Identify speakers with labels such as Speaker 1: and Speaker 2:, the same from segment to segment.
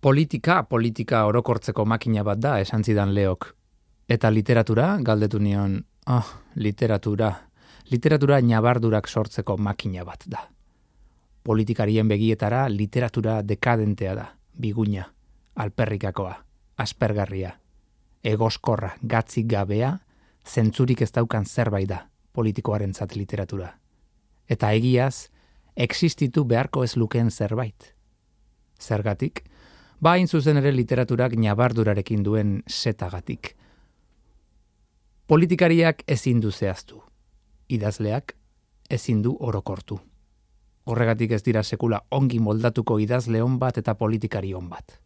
Speaker 1: Politika orokortzeko makina bat da, esan zidan Leok. Eta literatura, galdetu nion, literatura ñabardurak sortzeko makina bat da. Politikarien begietara literatura dekadentea da, biguina, alperrikakoa, aspergarria, egoskorra, gatzik gabea, zentzurik ez daukan zerbait da politikoarentzat literatura. Eta egiaz, existitu beharko ez lukeen zerbait. Zergatik, hain zuzen ere literaturak ñabardurarekin duen setagatik. Politikariak ezin du zehaztu, idazleak ezin du orokortu. Horregatik ez dira sekula ongi moldatuko idazle on bat eta politikari on bat.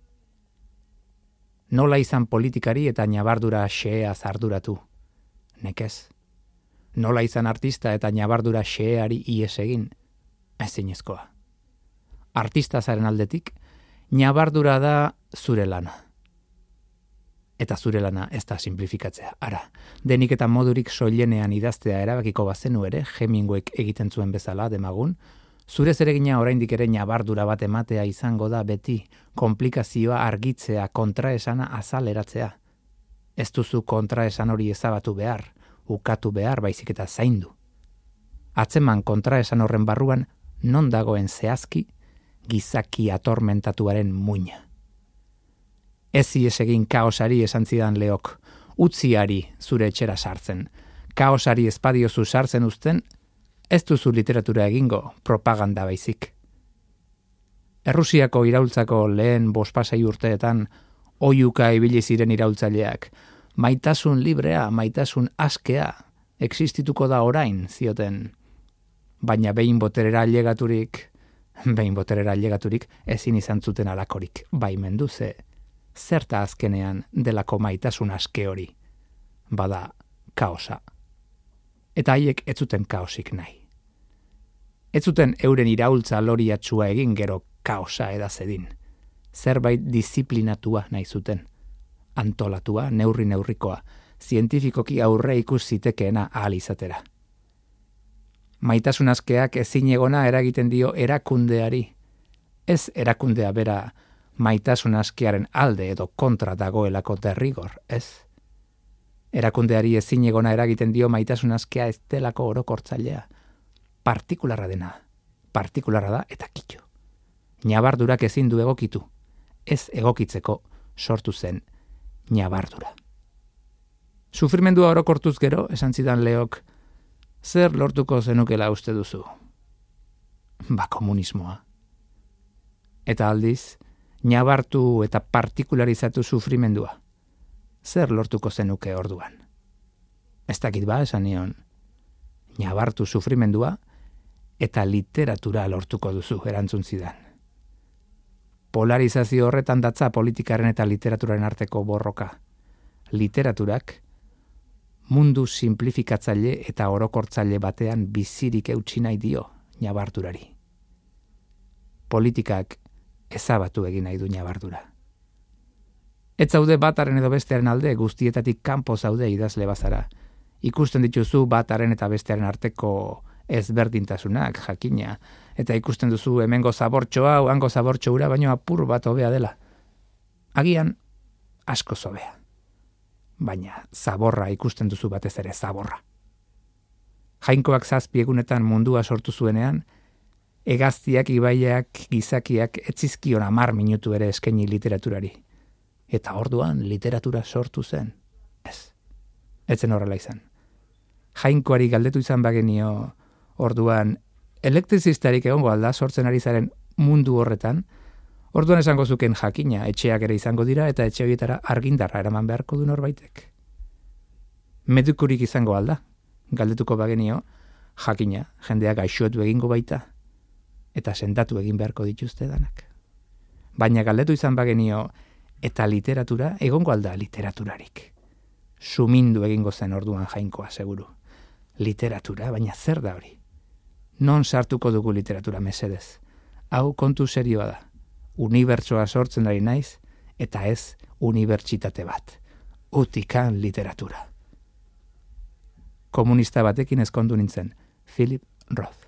Speaker 1: Nola izan politikari eta ñabardura xeheaz arduratu? Nekez. Nola izan artista eta ñabardura xeheari ies egin? Ezinezkoa. Artista zaren aldetik, ñabardura da zure lana. Eta zure lana ez da simplifikatzea. Ara, denik eta modurik soilenean idaztea erabakiko bazenu ere, Hemingwayk egiten zuen bezala demagun, zure zeregina oraindik ere ñabardura bat ematea izango da beti, konplikazioa argitzea, kontraesana azaleratzea. Ez duzu kontraesan hori ezabatu behar, ukatu behar baizik eta zaindu. Atzeman kontraesan horren barruan, non dagoen zehazki, gizaki atormentatuaren muina. Ez ies egin kaosari esan zidan Leok, utziari zure etxera sartzen. Kaosari espadiozu sartzen uzten, ez duzu literatura egingo, propaganda baizik. Errusiako iraultzako lehen bospasei urteetan, oiuka ibili ziren iraultzaileak, maitasun librea, maitasun askea, existituko da orain, zioten. Baina behin boterera ailegaturik ezin izan zuten alakorik, baimendu ze, zerta azkenean delako maitasun aske hori, bada kaosa. Eta haiek ez zuten kaosik nahi. Ez zuten euren iraultza loriatsua egin gero kaosa edazedin. Zerbait disiplinatua nahi zuten. Antolatua, neurrikoa, zientifikoki aurre ikus zitekeena ahal izatera. Maitasun askeak ezin egona eragiten dio erakundeari. Ez erakundea bera maitasun askearen alde edo kontra dagoelako derrigor, ez? Erakundeari ezin egona eragiten dio maitasun askea ez delako orokortzailea. Partikularra dena, partikularra da eta kitxo. Ñabardurak ezin du egokitu, ez egokitzeko sortu zen ñabardura. Sufrimendua orokortuz gero, esan zidan Leok, zer lortuko zenukela uste duzu? Komunismoa. Eta aldiz, ñabartu eta partikularizatu sufrimendua. Zer lortuko zenuke orduan? Ez dakit esan nion. Ñabartu sufrimendua eta literatura lortuko duzu, erantzun zidan. Polarizazio horretan datza politikaren eta literaturaren arteko borroka. Literaturak mundu simplifikatzaile eta orokortzaile batean bizirik eutsi nahi dio ñabardurari. Politikak ezabatu egin nahi du ñabardura. Ez zaude bataren edo bestearen alde, guztietatik kanpo zaude idazle bazara. Ikusten dituzu bataren eta bestearen arteko ezberdintasunak, jakina, eta ikusten duzu hemengo zabortxoa, hango zabortxo ura, baino apur bat hobea dela. Agian, asko hobea. Baina zaborra ikusten duzu batez ere zaborra. Jainkoak 7 egunetan mundua sortu zuenean, hegaztiak, ibaiak, gizakiak etzizkion 10 minutu ere eskaini literaturari. Eta orduan literatura sortu zen. Ez. Etzen horrela izan. Jainkoari galdetu izan bagenio orduan elektrizistarik egongo alda sortzen ari zaren mundu horretan, orduan esango zuken jakina, etxeak ere izango dira eta etxe horietara argindarra eraman beharko du norbaitek. Medikurik izango alda, galdetuko bagenio, jakina, jendeak gaixotu egingo baita, eta sendatu egin beharko dituzte danak. Baina galdetu izan bagenio, eta literatura, egongo alda literaturarik. Sumindu egingo zen orduan jainkoa, seguru. Literatura, baina zer da hori? Non sartuko dugu literatura mesedez? Hau kontu serioa da. Unibertsoa sortzen ari naiz, eta ez unibertsitate bat. Utikan literatura. Komunista batekin ezkondu nintzen, Philip Roth.